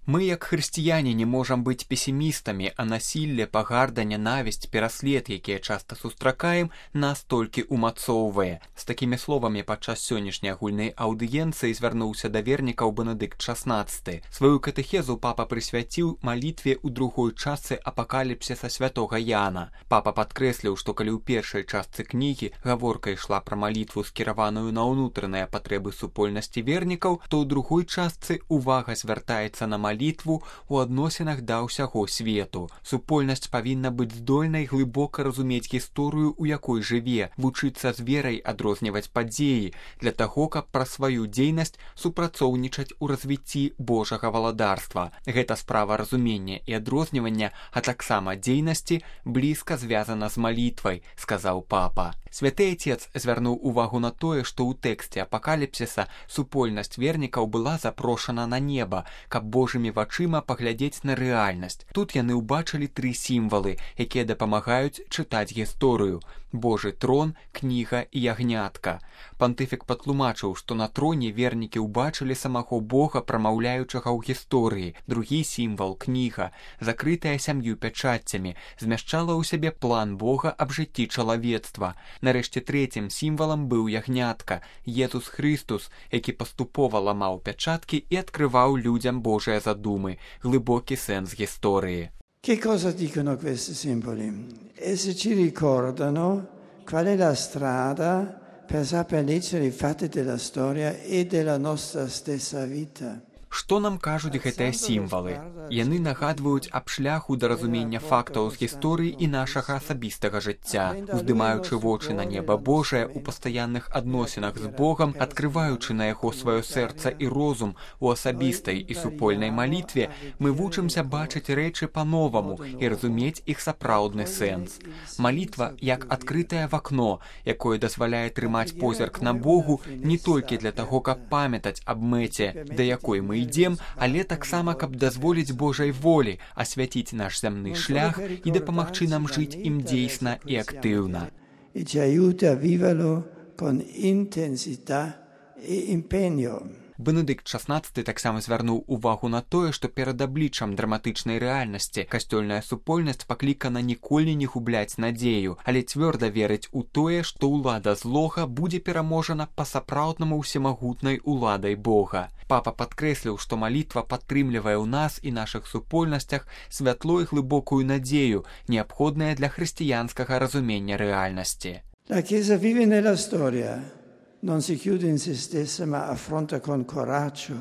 Мы, як хрысціяне, не можам быць песімістамі, а насілле, пагарда, нянавісць, пераслед, якія часта сустракаем, нас толькі умацоўвае. З такімі словамі падчас сённяшняй агульнай аўдыенцыі звярнуўся да вернікаў Бенедыкт XVI. Сваю катэхезу папа прысвяціў малітве ў другой частцы апакаліпсіса святога Яна. Папа падкрэсліў, што калі ў першай частцы кнігі гаворка ішла пра малітву, скіраваную на ўнутраныя патрэбы супольнасці вернікаў, то ў другой частцы увага звяртаецца на малітву ў адносінах да ўсяго свету. Супольнасць павінна быць здольнай глыбока разумець гісторыю, у якой жыве, вучыцца з верай адрозніваць падзеі, для таго, каб пра сваю дзейнасць супрацоўнічаць у развіцці Божага валадарства. Гэта справа разумення і адрознівання, а таксама дзейнасці, блізка звязана з малітвай, сказаў папа. Святы Отец звярнуў увагу на тое, што ў тэксце апакаліпсіса супольнасць вернікаў была запрошана на неба, каб Божымі вачыма паглядзець на рэальнасць. Тут яны ўбачылі 3 сімвалы, якія дапамагаюць чытаць гісторыю: Божы трон, кніга і ягнятка. Пантыфік патлумачыў, што на троне вернікі ўбачылі самого Бога, прамаўляючага ў гісторыі. Другі сімвал, кніга, закрытая 7 пячаццямі, змяшчала ў сябе план Бога аб жыцці чалавецтва. Нарэшце трэцім сімвалам быў ягнятка, Езус Христус, які паступова ламаў пячаткі і адкрываў людзям Божыя задумы, глыбокі сэнс гісторыі. Che cosa dicono questi simboli? Essi ci ricordano qual è la strada per saper leggere i fatti della storia e della nostra stessa vita. Што нам кажуць гэтыя сімвалы? Яны нагадваюць аб шляху да разумення фактаў з гісторыі і нашага асабістага жыцця. Уздымаючы вочы на неба Божае ў пастаянных адносінах з Богам, адкрываючы на яго сваё сэрца і розум у асабістай і супольнай малітве, мы вучымся бачыць рэчы па-новаму і разумець іх сапраўдны сэнс. Малітва як адкрытае вакно, якое дазваляе трымаць позірк на Богу не толькі для таго, каб памятаць аб мэце, да якой мы ідзем, але таксама, каб дазволіць Божай волі асвяціць наш зямны шлях і дапамагчы нам жыць ім дзейсна і актыўна. E ci aiuta a viverlo con intensità e impegno. Бенедыкт XVI таксама звярнуў увагу на тое, што перад абліччам драматычнай рэальнасці касцёльная супольнасць паклікана ніколі не губляць надзею, але цвёрда верыць у тое, што ўлада злога будзе пераможана па-сапраўднаму ўсемагутнай уладай Бога. Папа падкрэсліў, што малітва падтрымлівае ў нас і нашых супольнасцях святло і глыбокую надзею, неабходная для хрысціянскага разумення рэальнасці. La Chiesa vive nella storia. Non si chiude in se stessa, ma affronta con coraggio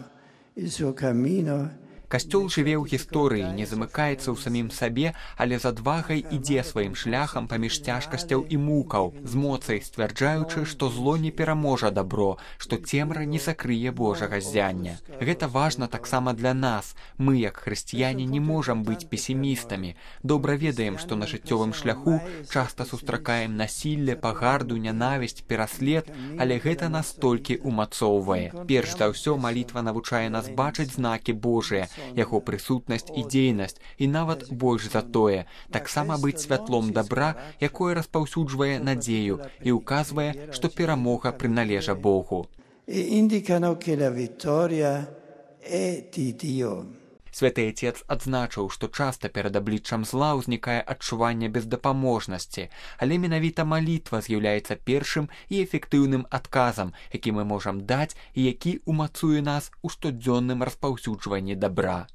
il suo cammino. Касцёл жыве ў гісторыі, не замыкаецца ў самім сабе, але з адвагай ідзе сваім шляхам паміж цяжкасцяў і мукаў, з моцай сцвярджаючы, што зло не пераможа дабро, што цемра не закрые Божага ззяння. Гэта важна таксама для нас. Мы, як хрысціяне, не можам быць песімістамі. Добра ведаем, што на жыццёвым шляху часта сустракаем насілле, пагарду, нянавісць, пераслед, але гэта нас толькі умацоўвае. Перш за ўсё, малітва навучае нас бачыць знакі Божыя, яго прысутнасць і дзейнасць, і нават больш за тое, таксама быць святлом дабра, якое распаўсюджвае надзею і ўказвае, што перамога прыналежа Богу. Святы Отец адзначыў, што часта перад абліччам зла ўзнікае адчуванне бездапаможнасці, але менавіта малітва з'яўляецца першым і эфектыўным адказам, які мы можам даць і які умацуе нас у штодзённым распаўсюджванні дабра.